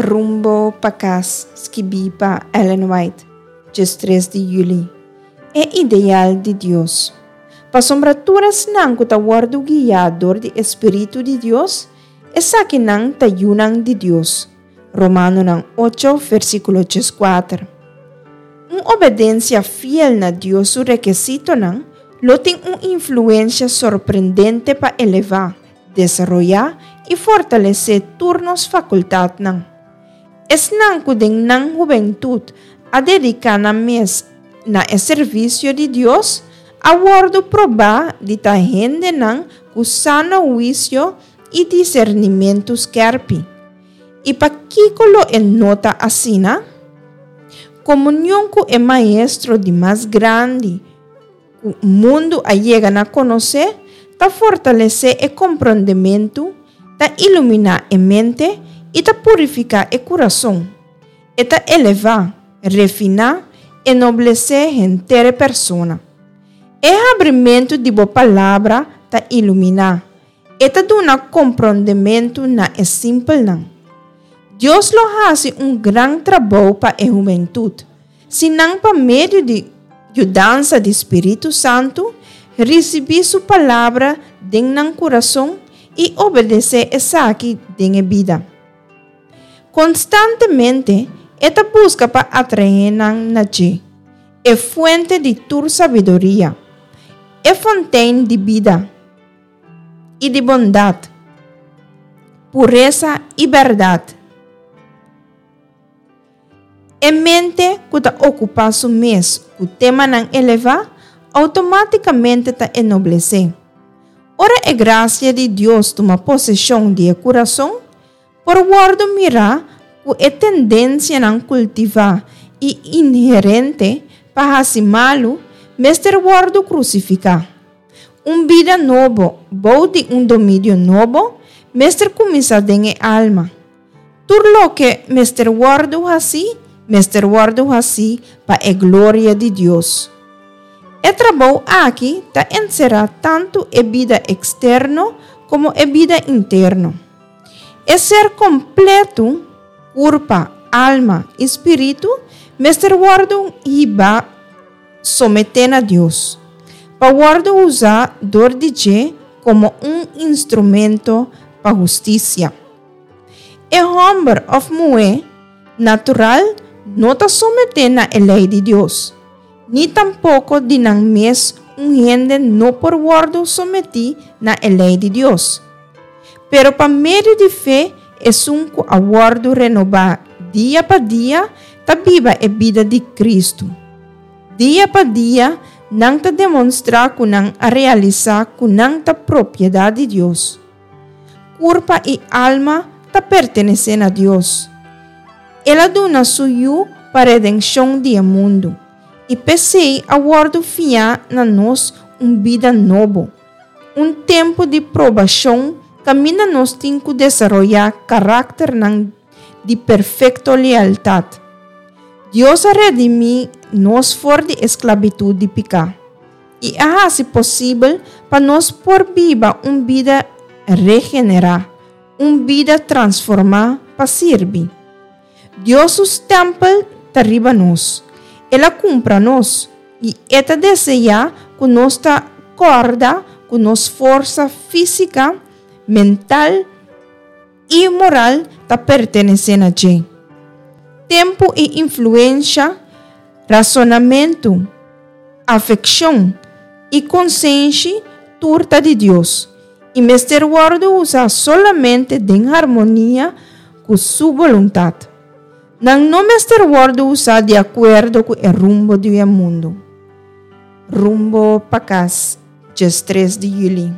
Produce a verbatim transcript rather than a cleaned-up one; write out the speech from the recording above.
Rumbo pa Kas, skibí pa Ellen White, diestres di yüli. E ideal di Dios. Pasobra tur esnan ku ta wòrdu guiá dor di e Spiritu di Dios, esakinan ta yunan di Dios. Romanonan ocho, versíkulo dieskuater. Un obedensia fiel na Dios su rekisitonan lo tin un influensia sorprendente pa elevá, desaroyá i fortalesé tur nos fakultatnan. Esnan ku den nan hubentut a dediká nan mes na e servisio di Dios, a wòrdu probá di ta hendenan ku sano huisio i disernimentu skèrpi. I pakiko lo e no ta asina? Komunion ku e Maestro di mas grandi ku mundu a yega na konosé ta fortalesé e komprondementu, ta iluminá e mente i ta purifiká e kurason. E ta elevá, refiná, enoblesé henter e persona. E habrimentu di bo palabra ta iluminá, e ta duna komprondementu na e simpelnan. Dios lo hasi un gran trabou pa e hubentut, si nan pa medio di yudansa di Spiritu Santu risibí su palabra den nan kurason i obedesé esaki den e bida. Konstantemente e ta buska pa atraé nan na dje, e fuente di tur sabiduria, e fontein di bida i di bondat, puresa i bèrdat. E mente ku ta okupá su mes ku temanan elevá outomátikamente ta enoblesé. Ora e grasia di Dios tuma poseshon di e kurason, por wòrdu mirá ku e tendensianan kultivá i inherente pa hasi malu mester wòrdu krusifiká. Un bida nobo bou di un dominio nobo mester kuminsá den e alma. Tur loke mester wòrdu hasí, mester wòrdu hasí pa e gloria di Dios. E trabou aki ta enserá tantu e bida eksterno komo e bida interno. E ser kompletu, kurpa, alma i spiritu, mester wòrdu hibá someté na Dios, pa wòrdu usá dor di dje komo un instrumento pa hustisia. E hòmber òf muhé natural no ta someté na e lei di Dios, ni tampoko di nan mes un hende no por wòrdu sometí na e lei di Dios. Pero pa medio di fe esun ku a wòrdu renobá dia pa dia ta biba e bida di Kristu. Dia pa dia nan ta demonstrá ku nan a realisá ku nan ta propiedat di Dios. Kurpa i alma ta pertenesé na Dios. El a duna su Yu pa redenshon di e mundu, i p'esei a wòrdu fiá na nos un bida nobo, un tempu di probashon kaminda nos tin ku desaroyá karakternan di perfekto lealtat. Dios a redimí nos for di esklabitut di piká i a hasi posibel pa nos por biba un bida regenerá, un bida transformá pa sirbi. Dios su stèmpel ta riba nos. El a kumpra nos i e ta deseá ku nos ta kòrda ku nos forsa físika, mental i moral ta pertenesé na dje. Tempu i influensha, rasonamentu, afekshon i konsenshi tur ta di Dios i mester wòrdu usá solamente den harmonia ku su boluntat. Nan no mester wòrdu usá di akuerdo ku e rumbo di e mundu. Rumbo pa Kas, diestres di yüli.